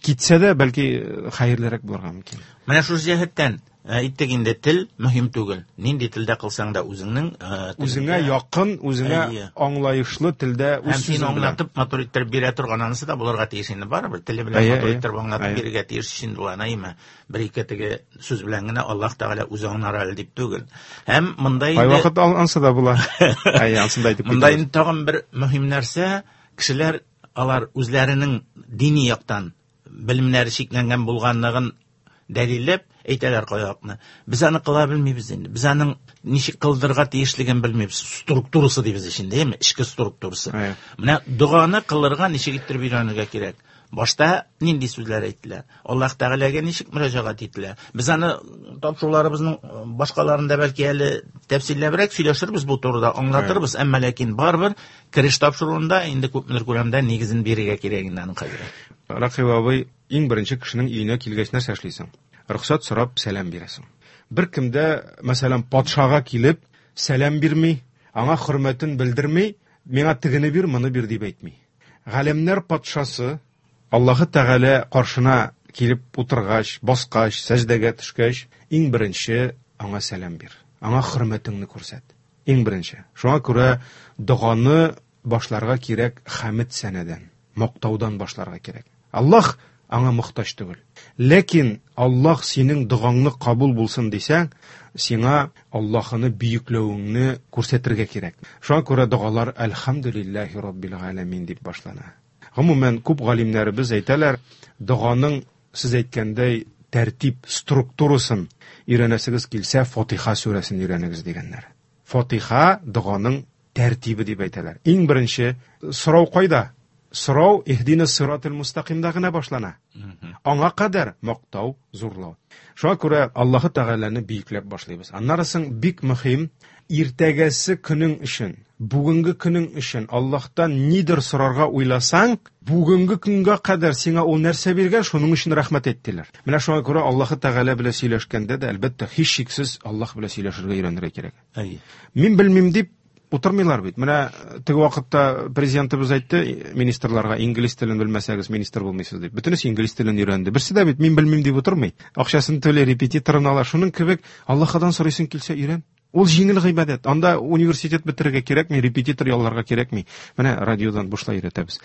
китсә дә, бәлки хәерлерәк булырга мөмкин. Менә шул җәһәттән әйттек инде, тел мөһим түгел. Нинди телдә кылсаң да үзеңнең, үзеңә якын, үзеңә аңлаешлы телдә үз сүзең белән аңлатып, матур иттереп бирә торган анысы да булырга тиеш инде, барыбер теле белән матур иттереп аңлатып бирергә тиеш инде ул, әйме? Бер ике теге сүз белән генә Аллаһ Тәгалә үзе аңлар әле дип түгел. Һәм монда инде кайвакыт ансы да була. Әйе, ансын да әйтеп китәбез. Монда инде тагын бер мөһим нәрсә, кешеләр алар үзләренең дини яктан белемнәре чикләнгән булганлыгын дәлилләп әйтәләр кайвакытны. Без аны кыла белмибез инде. Без аның ничек кылдырырга тиешлеген белмибез. Структурасы дибез инде, әйеме? Эчке структурасы. Менә доганы кылырга ничек иттереп өйрәнергә кирәк? Башта нинди сүзләр әйтелә? Аллаһ Тәгаләгә ничек мөрәҗәгать ителә? Без аны тапшыруларыбызның башкаларында бәлки әле тәфсилләбрәк сөйләшербез бу турыда, аңлатырбыз, әмма ләкин барыбер кереш тапшыруында инде күпмедер күләмдә нигезен бирергә кирәк инде аның хәзер. Рәкыйп абый, иң беренче кешенең өенә килгәч нәрсә эшлисең? Рөхсәт сорап сәлам бирәсең. Бер кемдә, мәсәлән, патшага килеп сәлам бирми, аңа хөрмәтен белдерми, миңа тегене бир, моны бир дип әйтми. Галәмнәр патшасы Аллаһы Тәгалә каршына килеп утыргач, баскач, сәҗдәгә төшкәч, иң беренче аңа сәлам бир. Аңа хөрмәтеңне күрсәт. Иң беренче. Шуңа күрә доганы башларга кирәк хәмд сәнәдән, мактаудан башларга кирәк. Аллаһ аңа мохтаҗ түгел. Ләкин Аллаһ синең догаңны кабул булсын дисәң, сиңа Аллаһны бөекләвеңне күрсәтергә кирәк. Шуңа күрә догалар Әлхәмдүлилләһи раббил галәмин дип башлана. Гомумән, күп галимнәребез әйтәләр, доганың, сез әйткәндәй, тәртип структурасын өйрәнәсегез килсә, Фатиха сүрәсен өйрәнегез дигәннәр. Фатиха доганың тәртибе дип әйтәләр. Иң беренче сорау кайда? Сорау иһдина сиратал мустакимда гына башлана. Аңа кадәр мактау, зурлау. Шуңа күрә Аллаһы Тәгаләне бөекләп башлыйбыз. Аннары соң бик мөһим, иртәгәсе көнең өчен, бүгенге көнең өчен Аллаһтан нидер сорарга уйласаң, бүгенге көнгә кадәр сиңа ул нәрсә биргән, шуның өчен рәхмәт әйт диләр. Менә шуңа күрә Аллаһы Тәгалә белән сөйләшкәндә дә, әлбәттә, һичшиксез Аллаһ белән сөйләшергә өйрәнергә кирәк. Әйе. Мин белмим дип утырмыйлар бит. Менә теге вакытта президентыбыз әйтте министрларга, инглиз телен белмәсәгез министр булмыйсыз дип. Бөтенесе инглиз телен өйрәнде. Берсе дә бит мин белмим дип утырмый. Акчасын түли, репетиторын ала. Шуның кебек Аллаһыдан сорыйсың килсә өйрән. Ул җиңел гыйбадәт. Анда университет бетерергә кирәкми, репетитор ялларга кирәкми. Менә радиодан бушлай өйрәтәбез.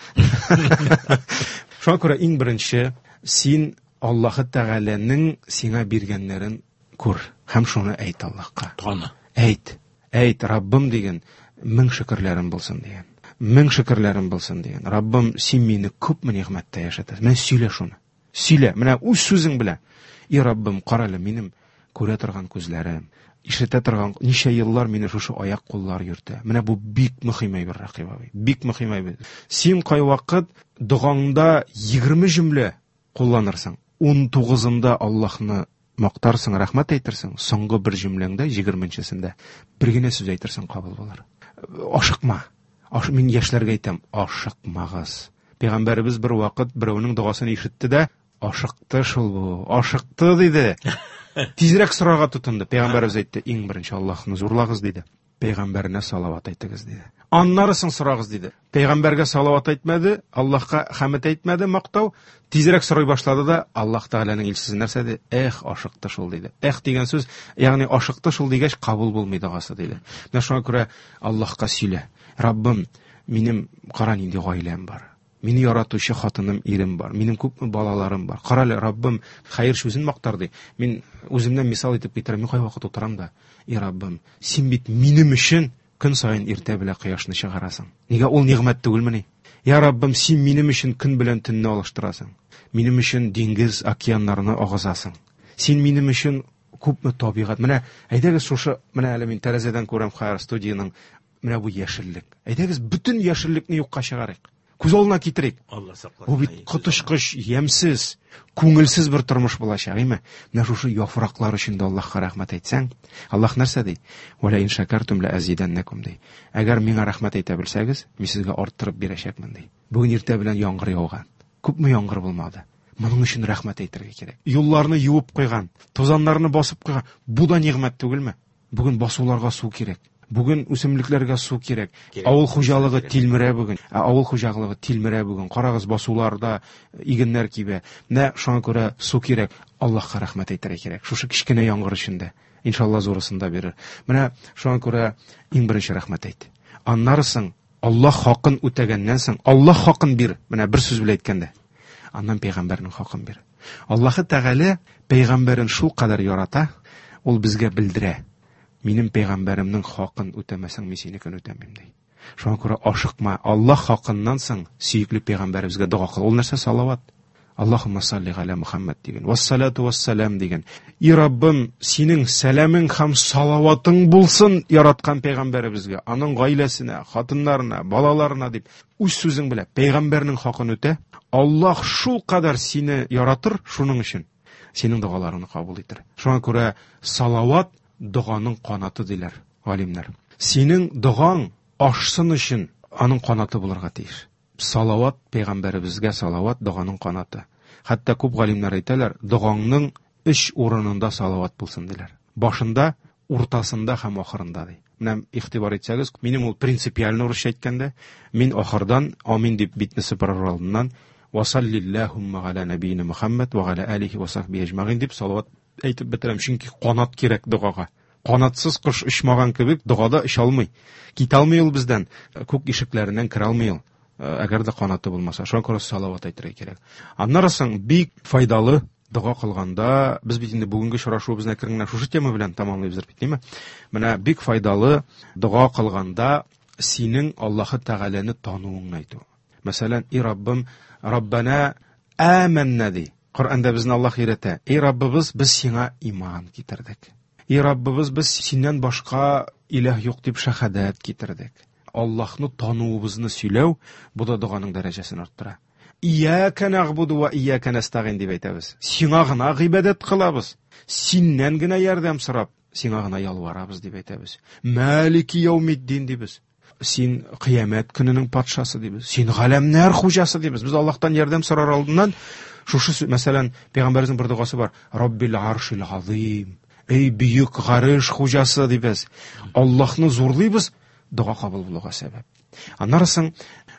Шуңа күрә иң беренче син Аллаһы Тәгаләнең сиңа биргәннәрен күр һәм шуны әйт Аллаһка. Таны. Әйт. Әйт, Раббым дигән, мең шөкерләрем булсын дигән. Мең шөкерләрем булсын дигән. Раббым, син мине күпме нигъмәттә яшәтәсең. Менә сөйлә шуны. Сөйлә, менә үз сүзең белән. И Раббым, кара әле минем күрә торган күзләрем, ишетә торган ничә еллар мине шушы аяк куллар йөртә. Менә бу бик мөһим әйбер, Рәкыйп абый. Бик мөһим әйбер. Син кайвакыт догаңда егерме җөмлә кулланырсың. Ун тугызында Аллаһны мактарсың, рәхмәт әйтерсең, соңгы бер җөмләңдә, егерменчесендә бер генә сүз әйтерсең, кабул булыр. Ашыкма. Аш, мин яшьләргә әйтәм, ашыкмагыз. Пәйгамбәребез бер вакыт берәүнең догасын ишетте дә, ашыкты шул бу, ашыкты диде. Тизрәк сорарга тотынды. Пәйгамбәребез әйтте, иң беренче Аллаһны зурлагыз диде. Пәйгамбәренә салават әйтегез диде. Аннары соң сорагыз диде. Пәйгамбәргә салават әйтмәде, Аллаһка хәмд әйтмәде, мактау. Тизрәк сорый башлады да, Аллаһ Тәгаләнең илчесе нәрсә диде? Эх, ашыкты шул диде. Эх дигән сүз, ягъни ашыкты шул дигәч кабул булмый догасы диде. Менә шуңа күрә Аллаһка сөйлә. Раббым, минем кара нинди гаиләм бар. Мине яратучы хатыным, ирем бар. Минем күпме балаларым бар. Кара әле, Раббым, хәер сүзен мактар ди. Мин үземнән мисал итеп китерәм. Мин кайвакыт утырам да, и Раббым, син бит минем өчен көн саен иртә белән кояшны чыгарасың. Нигә ул нигъмәт түгелмени? Я Раббым, син минем өчен көн белән төнне алыштырасың. Минем өчен диңгез, океаннарны агызасың. Син минем өчен күпме табигать. Менә әйдәгез шушы, менә әле мин тәрәзәдән күрәм хәер студияның менә бу яшеллек. Әйдәгез бөтен яшеллекне юкка чыгарыйк. Күз алдына китерик. Алла сакласын. Бу бит коточкыч, ямьсез, күңелсез бер тормыш булачак, әйме? Менә шушы яфраклар өчен дә Аллаһка рәхмәт әйтсәң, Аллаһ нәрсә ди? Вәлә ин шәкәртум ла азиданнакум ди. Әгәр миңа рәхмәт әйтә белсәгез, мин сезгә арттырып бирәчәкмен ди. Бүген иртә белән яңгыр яуган. Күпме яңгыр булмады. Моның өчен рәхмәт әйтергә кирәк. Юлларны юып куйган, тузаннарны басып куйган. Бу да нигъмәт түгелме? Бүген басуларга су кирәк. Бүген үсемлекләргә су кирәк. Кирәк. Авыл хуҗалыгы тилмерә бүген. Ә авыл хуҗалыгы тилмерә бүген. Карагыз, басуларда игеннәр кибә. Менә шуңа күрә су кирәк. Аллаһка рәхмәт әйтергә кирәк. Шушы кечкенә яңгыр өчен дә. Иншалла зурысын да бирер. Менә шуңа күрә иң беренче рәхмәт әйт. Аннары соң Аллаһ хакын үтәгәннән соң Аллаһ хакын бир. Менә бер сүз белән әйткәндә. Аннан пәйгамбәрнең хакын бир. Аллаһы Тәгалә пәйгамбәрен шул кадәр ярата, ул безгә белдерә. Минем пәйгамбәремнең хакын үтәмәсәң, мин синекен үтәмим ди. Шуңа күрә ашыкма. Аллаһ хакыннан соң сөекле пәйгамбәребезгә дога кыл. Ул нәрсә? Салават. Аллаһумма салли галя Мухаммад дигән. Вассалату вассалам дигән. И Раббым, синең сәламең һәм салаватың булсын яраткан пәйгамбәребезгә, аның гаиләсенә, хатыннарына, балаларына дип үз сүзең белән пәйгамбәрнең хакын үтә. Аллаһ шул кадәр сине яратыр, шуның өчен синең догаларыңны кабул итер. Шуңа күрә салават доганың канаты диләр галимнәр. Синең догаң ашсын өчен аның канаты булырга тиеш. Салават, пәйгамбәребезгә салават доганың канаты. Хәтта күп галимнәр әйтәләр, догаңның өч урынында салават булсын диләр. Башында, уртасында һәм ахырында ди. Менә игътибар итсәгез, минем ул принципиально урысча әйткәндә, мин ахырдан амин дип битне сыпырыр алдыннан васаллиллахумма галя набийна Мухаммад ва галя алихи ва сахбихи ажмагин дип салават әйтеп бетерәм, чөнки канат кирәк догага. Канатсыз кош очмаган кебек догада оча алмый. Китә алмый ул бездән, күк ишекләреннән керә алмый ул. Әгәр дә канаты булмаса, шуңа күрә салават әйтергә кирәк. Аннары соң бик файдалы дога кылганда, без бит инде бүгенге очрашуыбызны әкрен генә шушы тема белән тәмамлыйбыз бит, димме? Менә бик файдалы дога кылганда синең Аллаһы Тәгаләне тануыңны әйтү. Мәсәлән, и Раббым, Раббана аманна ди. Коръәндә безне Аллаһ өйрәтә. И Раббыбыз, без сиңа иман китердек. И Раббыбыз, без синнән башка илаһ юк дип шәһадәт китердек. Аллаһны тануыбызны сөйләү, бу да доганың дәрәҗәсен арттыра. Ияка нагъбуду ва ияка настагин дип әйтәбез. Сиңа гына гыйбадәт кылабыз. Синнән генә ярдәм сорап, сиңа гына ялварабыз дип әйтәбез. Малики яумиддин дибез. Син кыямәт көненең патшасы дибез. Син галәмнәр хуҗасы дибез. Без Аллаһтан ярдәм сорар алдыннан шушы сүз, мәсәлән, пәйгамбәребезнең бер догасы бар. Раббил аршил азим. Эй бөек гарш хуҗасы дибез. Аллаһны зурлыйбыз, дога кабул булуга сәбәп. Аннары соң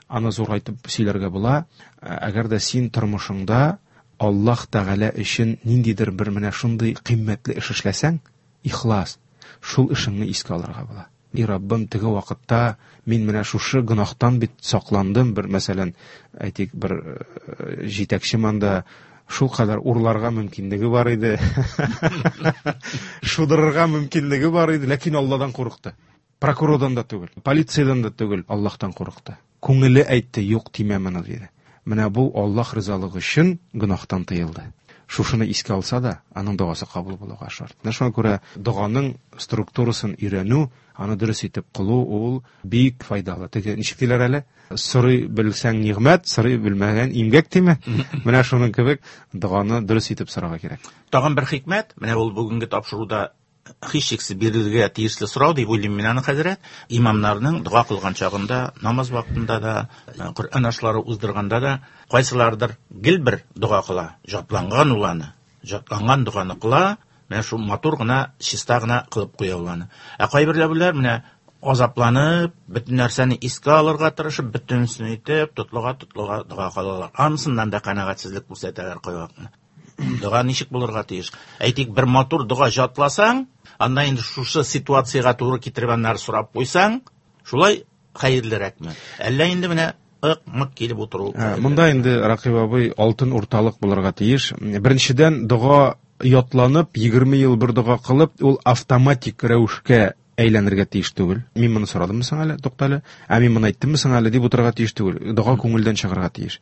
аны зурайтып сөйләргә була. Әгәр дә син тормышыңда Аллаһ Тәгалә өчен ниндидер бер менә шундый кыйммәтле эш эшләсәң, ихлас, шул эшеңне искә алырга була. И Раббым, теге вакытта мин менә шушы гөнаһтан бит сакландым. Бер мәсәлән, әйтик, бер җитәкче монда шул кадәр урларга мөмкинлеге бар иде. Шудырырга мөмкинлеге бар иде, ләкин Алладан курыкты. Прокурордан да түгел, полициядән дә түгел, Аллаһтан курыкты. Күңеле әйтте, юк тимә моны диде. Менә бу Аллаһ ризалыгы өчен гөнаһтан тыелды. Шушыны искә алса да, аның догасы кабул булуга шарт. Менә шуңа күрә доганың структурасын өйрәнү, аны дөрес итеп кылу ул бик файдалы. Теге ничек диләр әле? Сорый белсәң нигъмәт, сорый белмәгән имгәк димме? Менә шуның кебек доганы дөрес итеп сорарга кирәк. Тагын бер хикмәт, менә ул бүгенге тапшыруда һичшиксез бирелергә тиешле сорау дип уйлыйм мин аны, хәзрәт. Имамнарның дога кылган чагында, намаз вакытында да, Коръән ашлары уздырганда да кайсылардыр гел бер дога кыла, җатланган ул аны, җатланган доганы кыла, менә шул матур гына, чиста гына кылып куя ул аны. Ә кайберләр менә азапланып, бөтен нәрсәне искә алырга тырышып, бөтенесен итеп, тотлыга-тотлыга дога кылалар. Анысыннан да канәгатьсезлек күрсәтәләр кайвакытны. Дога ничек булырга тиеш? Әйтик, бер матур дога җатласаң, анда инде шушы ситуациягә туры китереп аннары сорап куйсаң, шулай хәерлерәкме? Әллә инде менә ык-мык килеп утыру? Монда инде, Ракыйп абый, алтын урталык булырга тиеш. Беренчедән, дога ятланып, егерме ел бер дога кылып, ул автоматик рәвешкә әйләнергә тиеш түгел. Мин моны сорадыммы соң әле, туктале, ә мин моны әйттемме соң әле дип утырырга тиеш түгел. Дога күңелдән чыгарга тиеш.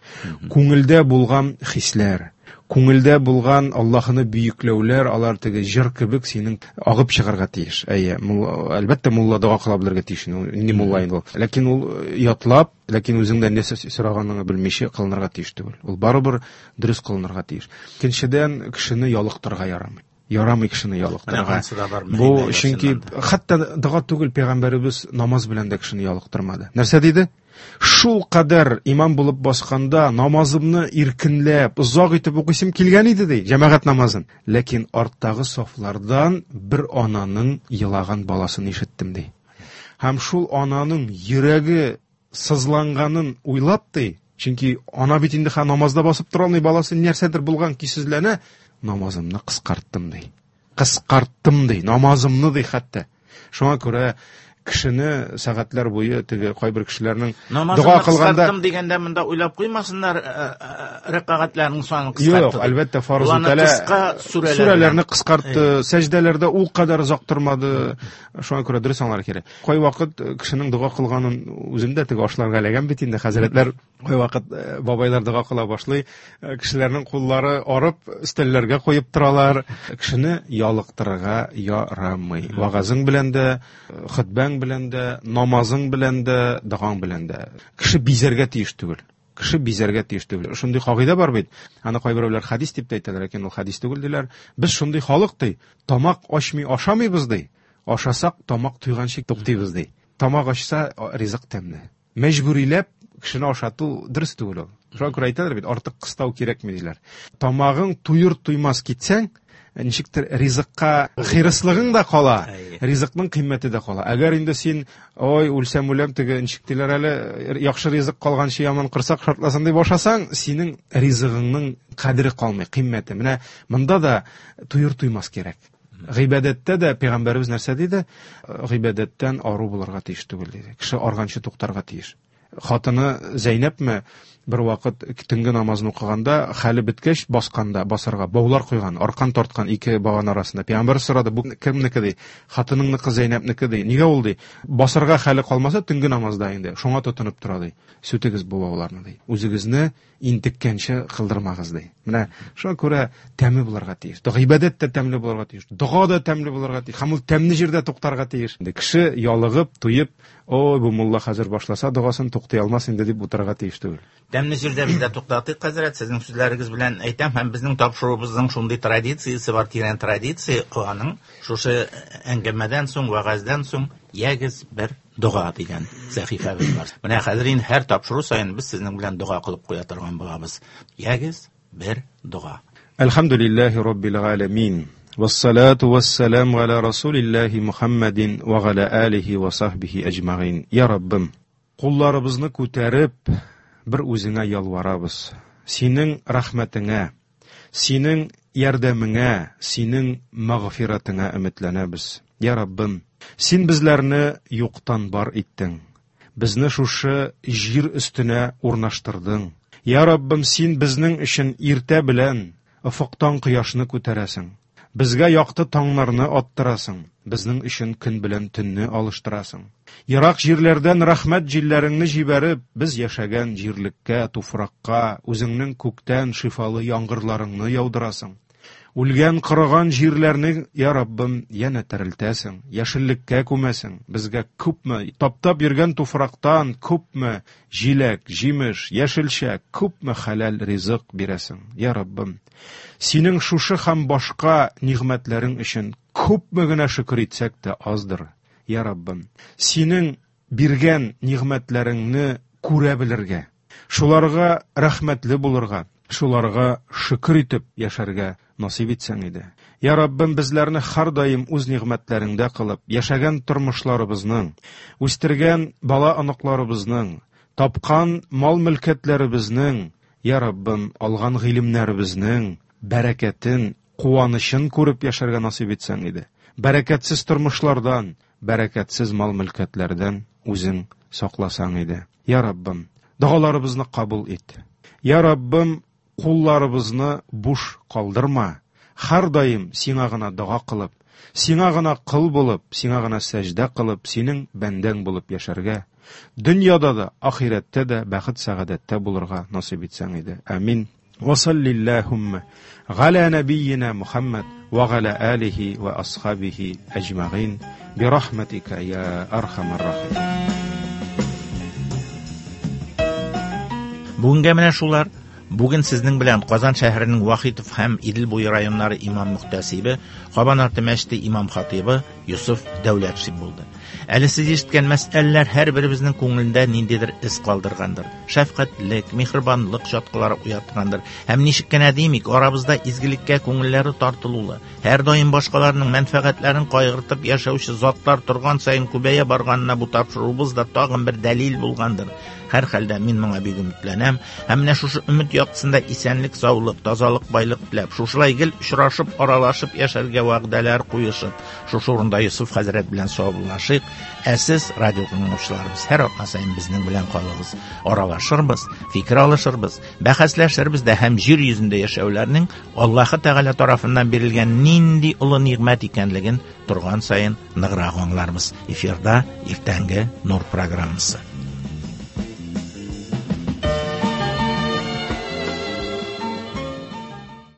Күңелдә булган хисләр, Күңелдә булган Аллаһны бөекләүләр, алар теге җыр кебек синең агып чыгарга тиеш. Әйе, әлбәттә мулла дога кыла белергә тиеш, нинди мулла инде ул. Ләкин ул ятлап, ләкин үзеңдән нәрсә сораганыңны белмичә кылынырга тиеш түгел. Ул барыбер дөрес кылынырга тиеш. Икенчедән, кешене ялыктырырга ярамый. Ярамый кешене ялыктырырга. Бу чөнки хәтта дога түгел, пәйгамбәребез намаз белән дә кешене ялыктырмады. Нәрсә диде? Шул кадәр имам булып басканда намазымны иркенләп, озак итеп укыйсым килгән иде ди, җәмәгать намазын. Ләкин арттагы сафлардан бер ананың елаган баласын ишеттем ди. Һәм шул ананың йөрәге сызланганын уйлап ди, чөнки ана бит инде ха намазда басып тора алмый, баласы нәрсәдер булган көйсезләнә, намазымны кыскарттым ди. Кыскарттым ди, намазымны ди хәтта. Шуңа күрә кешене сәгатьләр буе теге кайбер кешеләрнең дога кылганда кыскарттым дигәндә монда уйлап куймасыннар, рәкәгатьләрнең санын кыскартты. Юк, әлбәттә, фарыз үтәлә. Сүрәләрне кыскартты, сәҗдәләрдә ул кадәр озак тормады. Шуңа күрә дөрес аңлар кирәк. Кайвакыт кешенең дога кылганын үзем дә теге ашларга эләгәм бит инде, хәзрәтләр кайвакыт бабайлар дога кыла башлый, кешеләрнең куллары арып өстәлләргә куеп торалар. Кешене ялыктырырга ярамый. Вагазың белән дә, хөтбәң белән дә, намазың белән дә, догаң белән дә. Кеше бизәргә тиеш түгел. Кеше бизәргә тиеш түгел. Шундый кагыйдә бар бит. Аны кайберәүләр хадис дип тә әйтәләр, ләкин ул хадис түгел диләр. Без шундый халык ди, тамак ачмый ашамыйбыз ди. Ашасак тамак туйганчы туктыйбыз ди. Тамак ачса ризык тәмле. Мәҗбүриләп кешене ашату дөрес түгел ул. Шуңа күрә әйтәләр бит, артык кыстау кирәкми диләр. Тамагың туер туймас китсәң, ничектер ризыкка хирыслыгың да кала, ризыкның кыйммәте дә кала. Әгәр инде син, ой, үлсәм үләм, теге ничек диләр әле, яхшы ризык калганчы яман корсак шартласын дип ашасаң, синең ризыгыңның кадере калмый, кыйммәте. Менә монда да туер туймас кирәк. Гыйбадәттә дә пәйгамбәребез нәрсә диде? Гыйбадәттән ару булырга тиеш түгел диде. Кеше арганчы туктарга тиеш. Хатыны Зәйнәпме бер вакыт төнге намазын укыганда, хәле беткәч, басканда, басарга баулар куйган, аркан тарткан ике баган арасында. Пәйгамбәр сорады, бу кемнеке ди? Хатыныңныкы, Зәйнәпнеке ди. Нигә ул ди? Басарга хәле калмаса төнге намазда инде, шуңа тотынып тора ди. Сүтегез бу бауларны ди. Үзегезне интеккәнче кылдырмагыз ди. Менә шуңа күрә тәме булырга тиеш. Гыйбадәт тә тәмле булырга тиеш. Дога да тәмле булырга тиеш. Һәм ул тәмле җирдә туктарга тиеш. Кеше ялыгып, туеп, ой, бу мулла хәзер башласа догасын туктый алмас инде дип утырырга тиеш түгел. Тәмле җирдә без дә туктатыйк, хәзрәт, сезнең сүзләрегез белән әйтәм, һәм безнең тапшыруыбызның шундый традициясе бар, тирән традиция, аның шушы әңгәмәдән соң, вәгазьдән соң ягез бер дога дигән сәхифәбез бар. Менә хәзер инде һәр тапшыру саен без сезнең белән дога кылып куя торган булабыз. Ягез бер дога. Әлхәмдүлилләһи раббил галәмин. Вассалату вассаламу аля расулиллаһи Мухаммадин ва аля алихи ва сахбихи әҗмәгыйн. Я Раббым, кулларыбызны күтәреп бер үзеңә ялварабыз. Синең рәхмәтеңә, синең ярдәмеңә, синең мәгъфиратыңа өметләнәбез. Я Раббым, син безләрне юктан бар иттең. Безне шушы җир өстенә урнаштырдың. Я Раббым, син безнең өчен иртә белән офыктан кояшны күтәрәсең. Безгә якты таңнарны аттырасың. Безнең өчен көн белән төнне алыштырасың. Ерак җирләрдән рәхмәт җилләреңне җибәреп, без яшәгән җирлеккә, туфракка үзеңнең күктән шифалы яңгырларыңны яудырасың. Үлгән, корыган җирләрне, я Раббым, янә терелтәсең, яшеллеккә күмәсең. Безгә күпме таптап йөргән туфрактан күпме җиләк, җимеш, яшелчә, күпме хәләл ризык бирәсең. Я Раббым, синең шушы һәм башка нигъмәтләрең өчен күпме генә шөкер итсәк тә аздыр. Я Раббым, синең биргән нигъмәтләреңне күрә белергә, шуларга рәхмәтле булырга, шуларга шөкер итеп яшәргә насыйп итсәң иде. Я Раббым, безләрне һәрдаим үз нигъмәтләреңдә кылып, яшәгән тормышларыбызның, үстергән бала-оныкларыбызның, тапкан мал-мөлкәтләребезнең, Я Раббым, алган гыйлемнәребезнең бәрәкәтен, куанычын күреп яшәргә насыйп итсәң иде. Бәрәкәтсез тормышлардан, бәрәкәтсез мал-мөлкәтләрдән үзең сакласаң иде. Я Раббым, догаларыбызны кабул ит. Я Раббым, кулларыбызны буш калдырма. Һәрдаим сиңа гына дога кылып, сиңа гына кыл булып, сиңа гына сәҗдә кылып, синең бәндәң булып яшәргә, дөньяда да, ахирәттә дә бәхет-сәгадәттә булырга насыйп итсәң иде. Амин. وصل اللهم على نبينا محمد وعلى آله وأصحابه أجمعين برحمتك يا أرحم الراحمين. Бүгенгә менә шулар. Бүген сезнең белән Казан шәһәренең Вахитов һәм Идел буе районнары имам мөхтәсибе, Кабан арты мәчете имам хатибы Йосыф Дәүләтшин булды. Әле сез ишеткән мәсьәләләр һәрберебезнең күңелендә ниндидер эз калдыргандыр. Шәфкатьлек, миһербанлык чаткылары уяткандыр. Һәм ничек кенә димик, арабызда изгелеккә күңелләре тартылулы, һәр даим башкаларның мәнфәгатьләрен кайгыртып яшәүче затлар торган саен күбәя барганына бу тапшыруыбыз да тагын бер дәлил булгандыр. Һәр хәлдә мин моңа бик өметләнәм. Һәм менә шушы өмет яктысында исәнлек, саулык, тазалык, байлык теләп, шушылай гел очрашып, аралашып яшәргә вәгъдәләр куешып, шушы урында Йосыф хәзрәт белән саубуллашыйк. Ә сез, радио тыңлаучыларыбыз, һәр атна саен безнең белән калыгыз. Аралашырбыз, фикер алышырбыз, бәхәсләшербез дә һәм җир йөзендә яшәүләрнең Аллаһы Тәгалә тарафыннан бирелгән нинди олы нигъмәт икәнлеген торган саен ныграк аңларбыз. Эфирда иртәнге Нур программасы.